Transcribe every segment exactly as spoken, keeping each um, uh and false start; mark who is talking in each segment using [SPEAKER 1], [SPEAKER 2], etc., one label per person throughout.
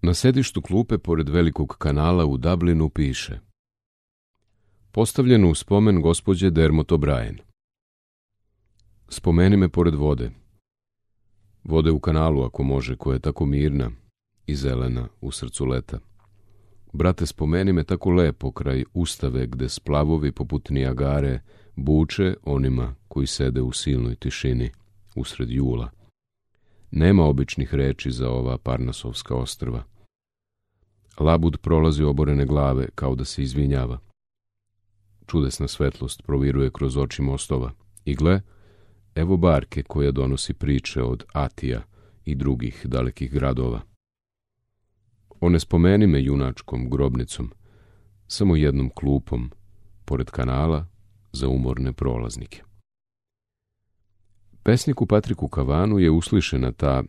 [SPEAKER 1] Na sedištu klupe pored velikog kanala u Dublinu piše: postavljeno u spomen gospođe Dermot O'Brien. Spomeni me pored vode. Vode u kanalu, ako može, koja je tako mirna i zelena u srcu leta. Brate, spomeni me tako lepo kraj ustave gde splavovi poput Nijagare buče onima koji sede u silnoj tišini usred jula. Nema običnih reči za ova Parnasovska ostrva. Labud prolazi oborene glave kao da se izvinjava. Čudesna svetlost proviruje kroz oči mostova. I gle, evo barke koja donosi priče od Atija i drugih dalekih gradova. One spomeni me junačkom grobnicom, samo jednom klupom, pored kanala, za umorne prolaznike. Pesniku Patriku Kavanu je uslišena ta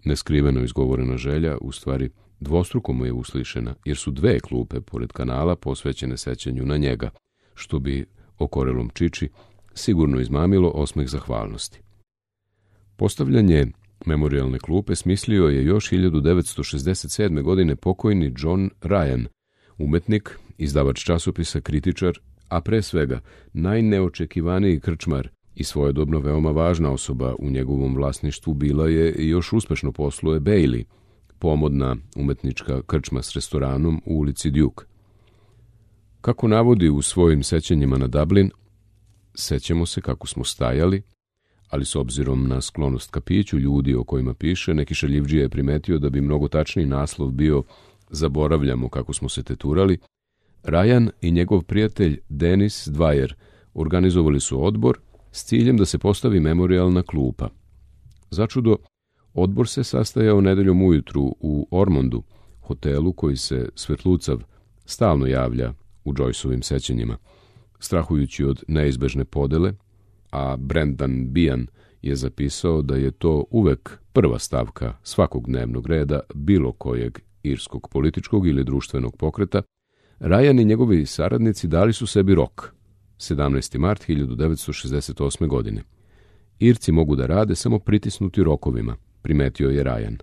[SPEAKER 1] neskriveno izgovorena želja, u stvari dvostruko mu je uslišena, jer su dve klupe pored kanala posvećene sećanju na njega, što bi okorelom Čiči sigurno izmamilo osmeh zahvalnosti. Postavljanje memorijalne klupe smislio je još hiljadu devetsto šezdeset sedme. godine pokojni John Ryan, umetnik, izdavač časopisa, kritičar, a pre svega najneočekivaniji krčmar i svojedobno veoma važna osoba u njegovom vlasništvu bila je i još uspešno posluje Bailey, pomodna umetnička krčma s restoranom u ulici Duke. Kako navodi u svojim sećanjima na Dublin, sećamo se kako smo stajali, ali s obzirom na sklonost ka piću ljudi o kojima piše, neki šaljivdžija je primetio da bi mnogo tačniji naslov bio Zaboravljamo kako smo se teturali. Ryan i njegov prijatelj Dennis Dwyer organizovali su odbor s ciljem da se postavi memorijalna klupa. Začudo, odbor se sastajao nedeljom ujutru u Ormondu, hotelu koji se svetlucav stalno javlja u Joyceovim sećanjima. Strahujući od neizbežne podele, a Brendan Behan je zapisao da je to uvek prva stavka svakog dnevnog reda bilo kojeg irskog političkog ili društvenog pokreta, Ryan i njegovi saradnici dali su sebi rok, sedamnaesti mart hiljadu devetsto šezdeset osme. godine. Irci mogu da rade samo pritisnuti rokovima, primetio je Ryan.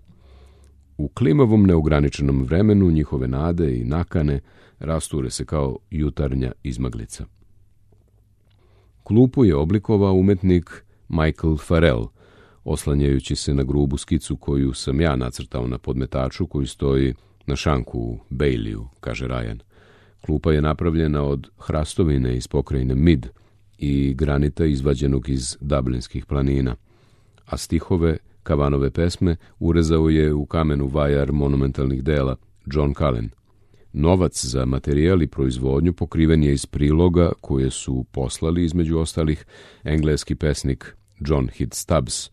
[SPEAKER 1] U klimavom neograničenom vremenu njihove nade i nakane rasture se kao jutarnja izmaglica. Klupu je oblikovao umetnik Michael Farrell, oslanjajući se na grubu skicu koju sam ja nacrtao na podmetaču koji stoji na šanku u Baileyu, kaže Ryan. Klupa je napravljena od hrastovine iz pokrajine Mid i granita izvađenog iz Dublinskih planina, a stihove Kavanove pesme urezao je u kamenu vajar monumentalnih dela John Cullen. Novac za materijal i proizvodnju pokriven je iz priloga koje su poslali između ostalih engleski pesnik John Heath Stubbs,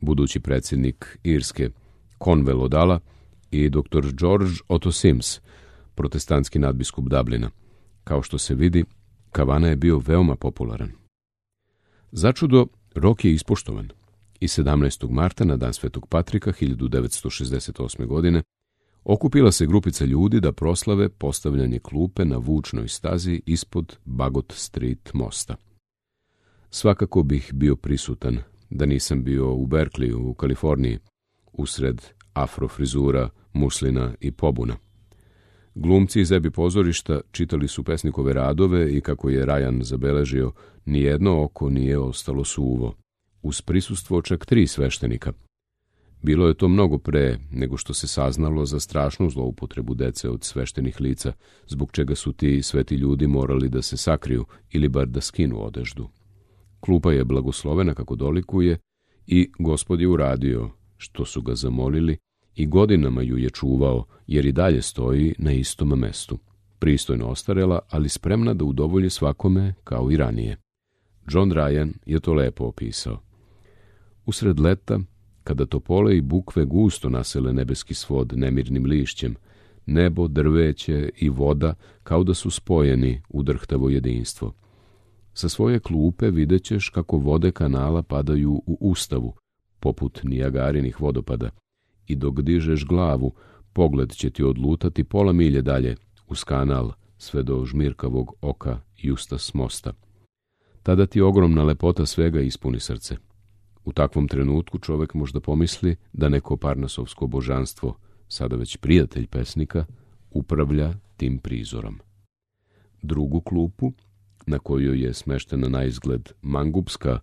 [SPEAKER 1] budući predsjednik Irske Conwell O'Dala i doktor George Otto Sims, protestantski nadbiskup Dublina. Kao što se vidi, Kavana je bio veoma popularan. Začudo, rok je ispoštovan i sedamnaestog marta na dan Svetog Patrika hiljadu devetsto šezdeset osme. godine okupila se grupica ljudi da proslave postavljanje klupe na vučnoj stazi ispod Bagot Street mosta. Svakako bih bio prisutan da nisam bio u Berkeleyu u Kaliforniji, usred afrofrizura, muslina i pobuna. Glumci iz Ebi pozorišta čitali su pesnikove radove i, kako je Ryan zabeležio, nijedno oko nije ostalo suvo, uz prisustvo čak tri sveštenika. Bilo je to mnogo pre nego što se saznalo za strašnu zloupotrebu dece od sveštenih lica, zbog čega su ti sveti ljudi morali da se sakriju ili bar da skinu odeždu. Klupa je blagoslovena kako dolikuje i Gospod je uradio što su ga zamolili i godinama ju je čuvao, jer i dalje stoji na istom mestu. Pristojno ostarela, ali spremna da udovolji svakome kao i ranije. John Ryan je to lepo opisao. Usred leta, kada topole i bukve gusto nasele nebeski svod nemirnim lišćem, nebo, drveće i voda kao da su spojeni u drhtavo jedinstvo. Sa svoje klupe videćeš kako vode kanala padaju u ustavu, poput Nijagarinih vodopada, i dok dižeš glavu, pogled će ti odlutati pola milje dalje, uz kanal, sve do žmirkavog oka Justas mosta. Tada ti ogromna lepota svega ispuni srce. U takvom trenutku čovek možda pomisli da neko parnasovsko božanstvo sada već prijatelj pesnika, upravlja tim prizorom. Drugu klupu, na kojoj je smeštena na izgled mangupska,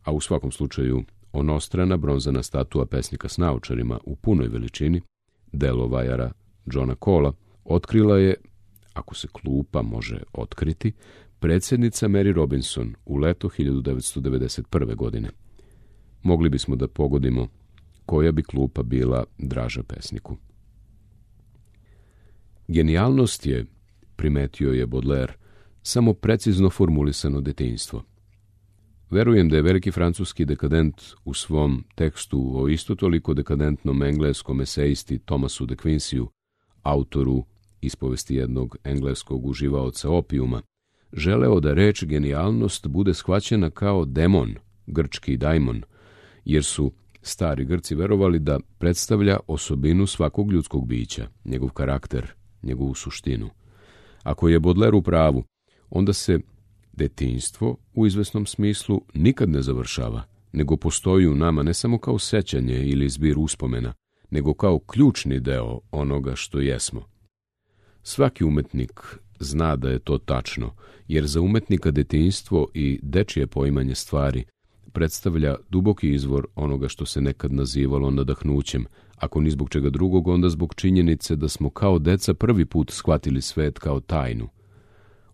[SPEAKER 1] a u svakom slučaju onostrana bronzana statua pesnika s naočarima u punoj veličini, delo vajara Johna Cola, otkrila je, ako se klupa može otkriti, predsjednica Mary Robinson u leto hiljadu devetsto devedeset prve. godine. Mogli bismo da pogodimo koja bi klupa bila draža pesniku. Genijalnost je, primetio je Baudelaire, samo precizno formulisano detinjstvo. Verujem da je veliki francuski dekadent u svom tekstu o isto toliko dekadentnom engleskom esejisti Thomasu de Quincyu, autoru ispovesti jednog engleskog uživaoca opijuma, želeo da reč genijalnost bude shvaćena kao demon, grčki daimon, jer su stari Grci verovali da predstavlja osobinu svakog ljudskog bića, njegov karakter, njegovu suštinu. Ako je Baudelaire u pravu, onda se detinjstvo u izvesnom smislu nikad ne završava, nego postoji u nama ne samo kao sećanje ili zbir uspomena, nego kao ključni deo onoga što jesmo. Svaki umetnik zna da je to tačno, jer za umetnika detinjstvo i dečije poimanje stvari predstavlja duboki izvor onoga što se nekad nazivalo nadahnućem, ako ni zbog čega drugog, onda zbog činjenice da smo kao deca prvi put shvatili svet kao tajnu.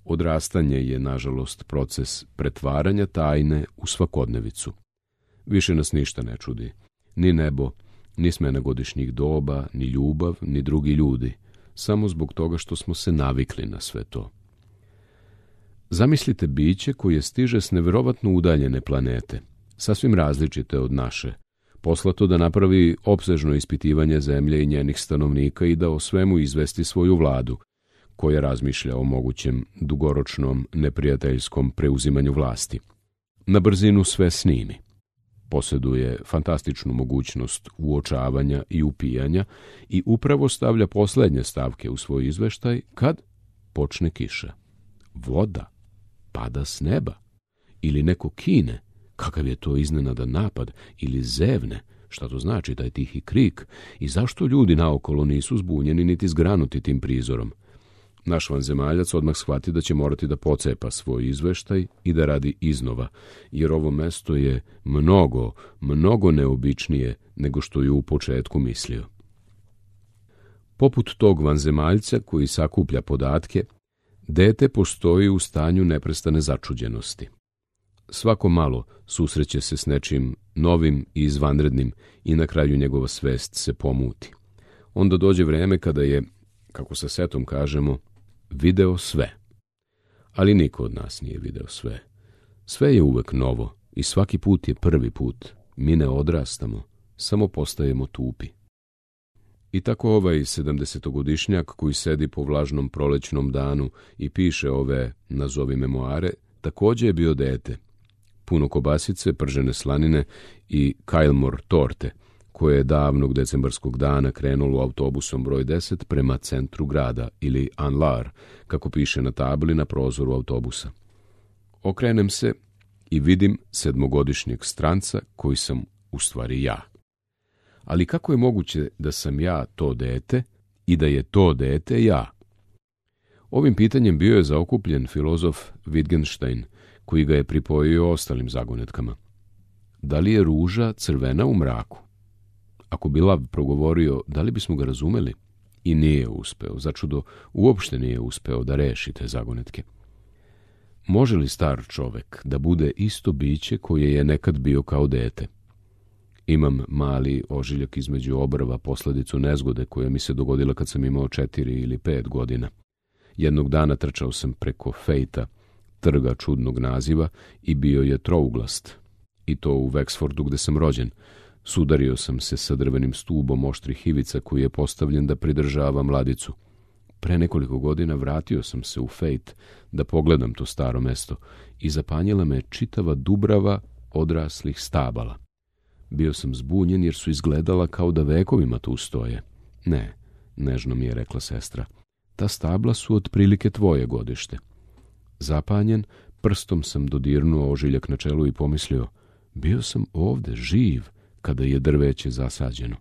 [SPEAKER 1] Odrastanje je, nažalost, proces pretvaranja tajne u svakodnevicu. Više nas ništa ne čudi. Ni nebo, ni smena godišnjih doba, ni ljubav, ni drugi ljudi. Samo zbog toga što smo se navikli na sve to. Zamislite biće koje stiže s neverovatno udaljene planete, sasvim različite od naše, poslato da napravi opsežno ispitivanje zemlje i njenih stanovnika i da o svemu izvesti svoju vladu, koja razmišlja o mogućem dugoročnom neprijateljskom preuzimanju vlasti. Na brzinu sve snimi. Posjeduje fantastičnu mogućnost uočavanja i upijanja i upravo stavlja poslednje stavke u svoj izveštaj kad počne kiša. Voda pada s neba. Ili neko kine, kakav je to iznenadan napad, ili zevne, šta to znači taj tihi krik, i zašto ljudi naokolo nisu zbunjeni niti zgranuti tim prizorom. Naš vanzemaljac odmah shvati da će morati da pocepa svoj izveštaj i da radi iznova, jer ovo mesto je mnogo, mnogo neobičnije nego što je u početku mislio. Poput tog vanzemaljca koji sakuplja podatke, dete postoji u stanju neprestane začuđenosti. Svako malo susreće se s nečim novim i izvanrednim i na kraju njegova svest se pomuti. Onda dođe vreme kada je, kako sa setom kažemo, video sve. Ali niko od nas nije video sve. Sve je uvek novo i svaki put je prvi put. Mi ne odrastamo, samo postajemo tupi. I tako ovaj sedamdesetogodišnjak koji sedi po vlažnom prolećnom danu i piše ove, nazovi memoare, također je bio dete. Puno kobasice, pržene slanine i Kajlmor torte, koje je davnog decembarskog dana krenulo autobusom broj deset prema centru grada, ili Anlar, kako piše na tabli na prozoru autobusa. Okrenem se i vidim sedmogodišnjeg stranca koji sam u stvari ja. Ali kako je moguće da sam ja to dete i da je to dete ja? Ovim pitanjem bio je zaokupljen filozof Wittgenstein, koji ga je pripojio ostalim zagonetkama. Da li je ruža crvena u mraku? Ako bi lav progovorio, da li bismo ga razumeli? I nije uspeo, začudo uopšte nije uspeo da reši te zagonetke. Može li star čovek da bude isto biće koje je nekad bio kao dete? Imam mali ožiljak između obrva, posledicu nezgode koja mi se dogodila kad sam imao četiri ili pet godina. Jednog dana trčao sam preko Fejta, trga čudnog naziva, i bio je trouglast. I to u Wexfordu gde sam rođen. Sudario sam se sa drvenim stubom oštrih ivica koji je postavljen da pridržava mladicu. Pre nekoliko godina vratio sam se u Fejt da pogledam to staro mesto i zapanjila me čitava dubrava odraslih stabala. Bio sam zbunjen jer su izgledala kao da vekovima tu stoje. Ne, nežno mi je rekla sestra, ta stabla su otprilike tvoje godište. Zapanjen, prstom sam dodirnuo ožiljak na čelu i pomislio, bio sam ovde živ kada je drveće zasađeno.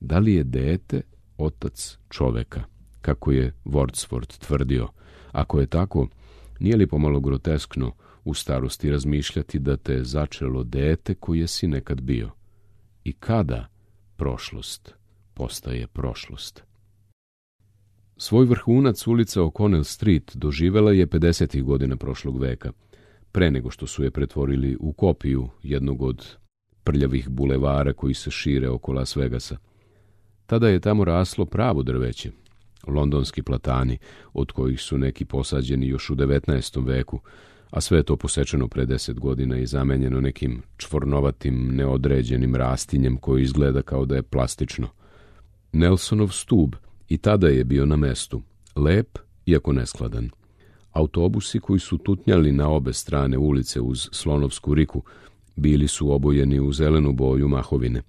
[SPEAKER 1] Da li je dete otac čoveka, kako je Wordsworth tvrdio? Ako je tako, nije li pomalo groteskno u starosti razmišljati da te je začelo dete koje si nekad bio? I kada prošlost postaje prošlost? Svoj vrhunac ulica O'Connell Street doživela je pedesetih godina prošlog veka, pre nego što su je pretvorili u kopiju jednog od prljavih bulevara koji se šire oko Las Vegasa. Tada je tamo raslo pravo drveće, londonski platani, od kojih su neki posađeni još u devetnaestom veku, a sve je to posečeno pre deset godina i zamenjeno nekim čvornovatim, neodređenim rastinjem koji izgleda kao da je plastično. Nelsonov stub i tada je bio na mestu, lep, iako neskladan. Autobusi koji su tutnjali na obe strane ulice uz Slonovsku riku bili su obojeni u zelenu boju mahovine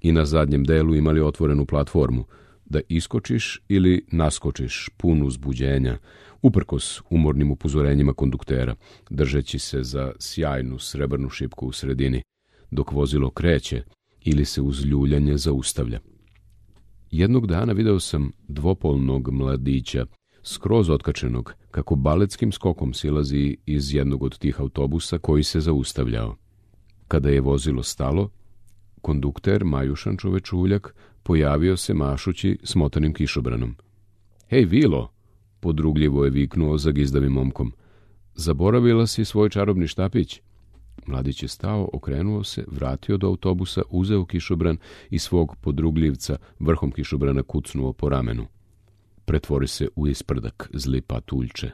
[SPEAKER 1] i na zadnjem delu imali otvorenu platformu da iskočiš ili naskočiš pun uzbuđenja, uprkos umornim upozorenjima konduktera, držeći se za sjajnu srebrnu šipku u sredini, dok vozilo kreće ili se uz ljuljanje zaustavlja. Jednog dana video sam dvopolnog mladića, skroz otkačenog, kako baletskim skokom silazi iz jednog od tih autobusa koji se zaustavljao. Kada je vozilo stalo, kondukter, majušan čovečuljak, pojavio se mašući smotanim kišobranom. Hej, Vilo, podrugljivo je viknuo zagizdavim momkom. Zaboravila si svoj čarobni štapić? Mladić je stao, okrenuo se, vratio do autobusa, uzeo kišobran i svog podrugljivca vrhom kišobrana kucnuo po ramenu. Pretvori se u isprdak, zli patuljče.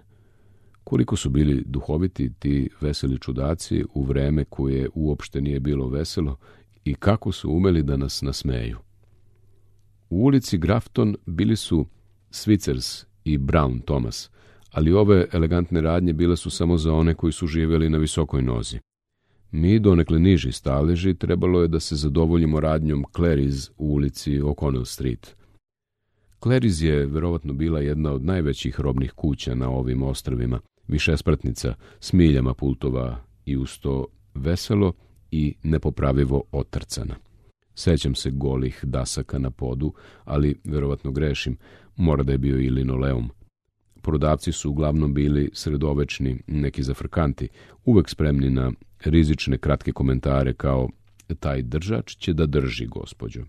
[SPEAKER 1] Koliko su bili duhoviti ti veseli čudaci u vreme koje uopšte nije bilo veselo i kako su umeli da nas nasmeju. U ulici Grafton bili su Svitzers i Brown Thomas, ali ove elegantne radnje bile su samo za one koji su živjeli na visokoj nozi. Mi, donekle niži staleži, trebalo je da se zadovoljimo radnjom Clary's u ulici O'Connell Street. Clary's je verovatno bila jedna od najvećih robnih kuća na ovim ostrvima, višespratnica s miljama pultova i uz to veselo i nepopravivo otrcana. Sećam se golih dasaka na podu, ali verovatno grešim, mora da je bio i linoleum. Prodavci su uglavnom bili sredovečni, neki zafrkanti, uvek spremni na rizične kratke komentare kao taj držač će da drži, gospođo.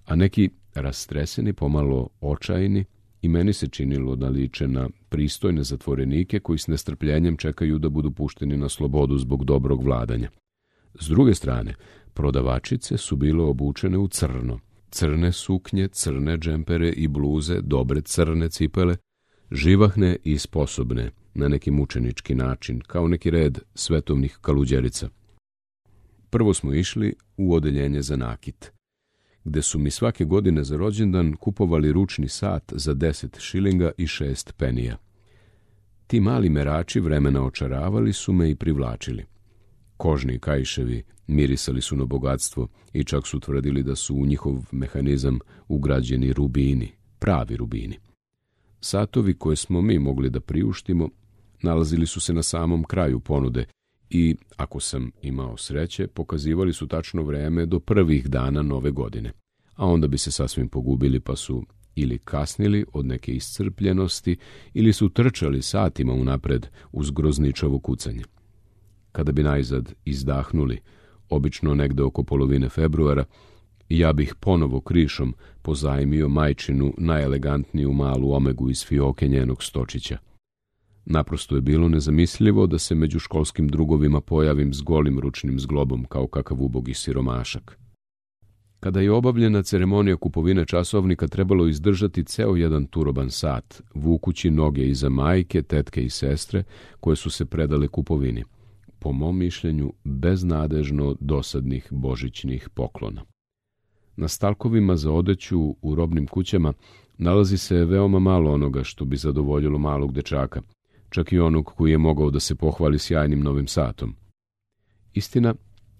[SPEAKER 1] A neki rastreseni, pomalo očajni, i meni se činilo da liče na pristojne zatvorenike koji s nestrpljenjem čekaju da budu pušteni na slobodu zbog dobrog vladanja. S druge strane, prodavačice su bile obučene u crno. Crne suknje, crne džempere i bluze, dobre crne cipele, živahne i sposobne na neki mučenički način, kao neki red svetovnih kaluđerica. Prvo smo išli u odeljenje za nakit, gde su mi svake godine za rođendan kupovali ručni sat za deset šilinga i šest penija. Ti mali merači vremena očaravali su me i privlačili. Kožni kaiševi mirisali su na bogatstvo i čak su tvrdili da su u njihov mehanizam ugrađeni rubini, pravi rubini. Satovi koje smo mi mogli da priuštimo nalazili su se na samom kraju ponude i, ako sam imao sreće, pokazivali su tačno vreme do prvih dana nove godine, a onda bi se sasvim pogubili pa su ili kasnili od neke iscrpljenosti ili su trčali satima unapred uz grozničavo kucanje. Kada bi najzad izdahnuli, obično negde oko polovine februara, ja bih ponovo krišom pozajmio majčinu najelegantniju malu omegu iz fioke njenog stočića. Naprosto je bilo nezamislivo da se među školskim drugovima pojavim s golim ručnim zglobom kao kakav ubogi siromašak. Kada je obavljena ceremonija kupovine časovnika, trebalo izdržati ceo jedan turoban sat, vukući noge iza majke, tetke i sestre koje su se predale kupovini. Po mom mišljenju, beznadežno dosadnih božićnih poklona. Na stalkovima za odeću u robnim kućama nalazi se veoma malo onoga što bi zadovoljilo malog dečaka, čak i onog koji je mogao da se pohvali sjajnim novim satom. Istina,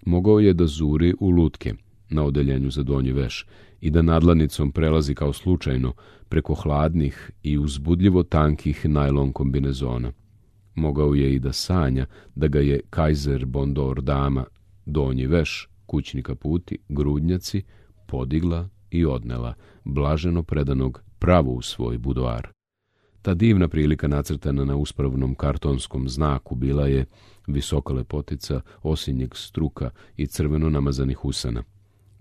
[SPEAKER 1] mogao je da zuri u lutke na odeljenju za donji veš i da nadlanicom prelazi kao slučajno preko hladnih i uzbudljivo tankih najlon kombinezona. Mogao je i da sanja da ga je Kaiser Bondor dama, donji veš, kućni kaputi, grudnjaci, podigla i odnela, blaženo predanog pravo u svoj budoar. Ta divna prilika nacrtana na uspravnom kartonskom znaku bila je visoka lepotica, osinjeg struka i crveno namazanih usana.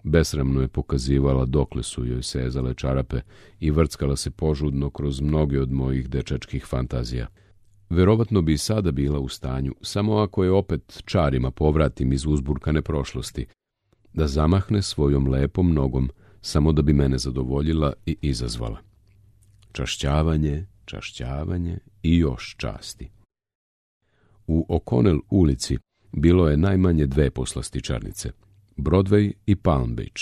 [SPEAKER 1] Besramno je pokazivala dokle su joj sezale čarape i vrckala se požudno kroz mnoge od mojih dečačkih fantazija. Verovatno bi i sada bila u stanju, samo ako je opet čarima povratim iz uzburkane prošlosti, da zamahne svojom lepom nogom, samo da bi mene zadovoljila i izazvala. Čašćavanje, čašćavanje i još časti. U O'Connell ulici bilo je najmanje dve poslastičarnice, Broadway i Palm Beach.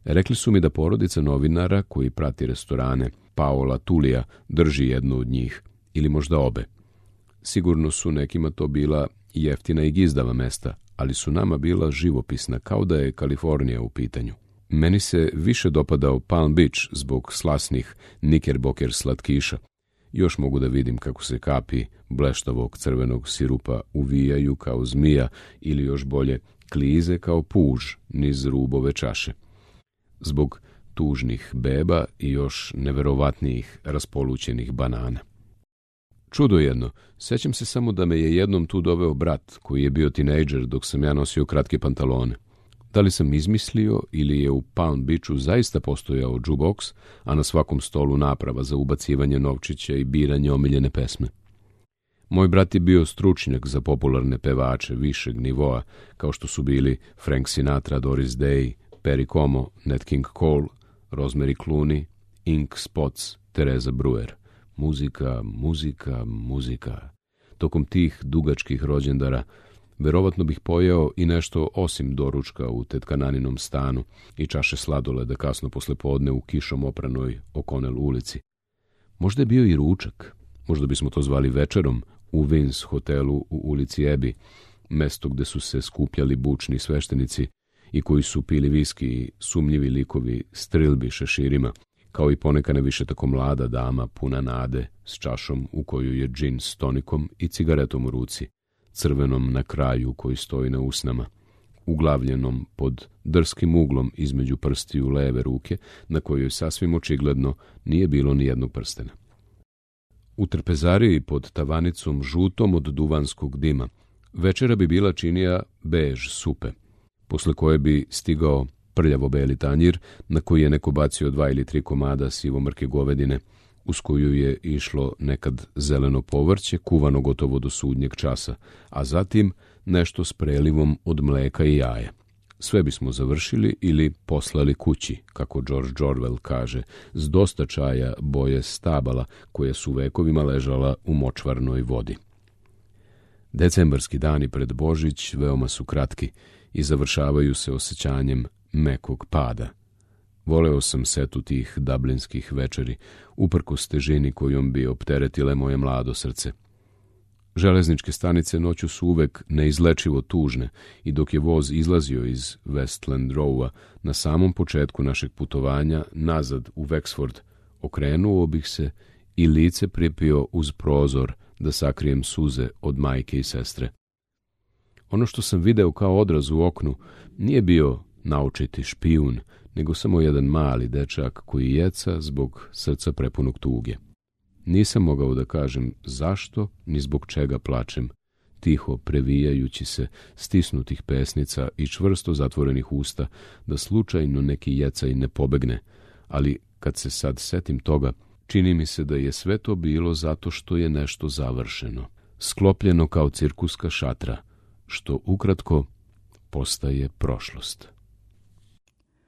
[SPEAKER 1] Rekli su mi da porodica novinara koji prati restorane, Paola Tulija, drži jednu od njih, ili možda obe. Sigurno su nekima to bila jeftina i gizdava mesta, ali su nama bila živopisna, kao da je Kalifornija u pitanju. Meni se više dopadao Palm Beach zbog slasnih Knickerbocker slatkiša. Još mogu da vidim kako se kapi bleštavog crvenog sirupa uvijaju kao zmija ili još bolje klize kao puž niz rubove čaše. Zbog tužnih beba i još neverovatnijih raspolućenih banana. Čudo jedno, sećam se samo da me je jednom tu doveo brat koji je bio tinejdžer dok sam ja nosio kratke pantalone. Da li sam izmislio ili je u Palm Beachu zaista postojao jukebox, a na svakom stolu naprava za ubacivanje novčića i biranje omiljene pesme. Moj brat je bio stručnjak za popularne pevače višeg nivoa, kao što su bili Frank Sinatra, Doris Day, Perry Como, Nat King Cole, Rosemary Clooney, Ink Spots, Teresa Brewer. Muzika, muzika, muzika. Tokom tih dugačkih rođendara verovatno bih pojeo i nešto osim doručka u tetkaninom stanu i čaše sladoleda kasno posle podne u kišom opranoj O'Connell ulici. Možda je bio i ručak, možda bismo to zvali večerom, u Vins hotelu u ulici Ebi, mesto gde su se skupljali bučni sveštenici i koji su pili viski i sumnjivi likovi strilbi šeširima, kao i poneka ne više tako mlada dama puna nade s čašom u koju je džin s tonikom i cigaretom u ruci, crvenom na kraju koji stoji na usnama, uglavljenom pod drskim uglom između prstiju leve ruke, na kojoj sasvim očigledno nije bilo ni jednog prstena. U trpezariji pod tavanicom žutom od duvanskog dima večera bi bila činija bež supe, posle koje bi stigao prljavo-beli tanjir na koji je neko bacio dva ili tri komada sivomrke govedine, uz koju je išlo nekad zeleno povrće, kuvano gotovo do sudnjeg časa, a zatim nešto s prelivom od mleka i jaja. Sve bismo završili ili poslali kući, kako George Orwell kaže, s dosta čaja boje stabala koja su vekovima ležala u močvarnoj vodi. Decembarski dani pred Božić veoma su kratki i završavaju se osjećanjem mekog pada. Voleo sam setu tih dublinskih večeri, uprkos težini kojom bi opteretile moje mlado srce. Železničke stanice noću su uvek neizlečivo tužne i dok je voz izlazio iz Westland Rowa na samom početku našeg putovanja nazad u Wexford, okrenuo bih se i lice pripio uz prozor da sakrijem suze od majke i sestre. Ono što sam video kao odraz u oknu nije bio naučiti špijun, nego samo jedan mali dečak koji jeca zbog srca prepunog tuge. Nisam mogao da kažem zašto ni zbog čega plačem, tiho previjajući se stisnutih pesnica i čvrsto zatvorenih usta, da slučajno neki jecaj ne pobegne, ali kad se sad setim toga, čini mi se da je sve to bilo zato što je nešto završeno, sklopljeno kao cirkuska šatra, što ukratko postaje prošlost.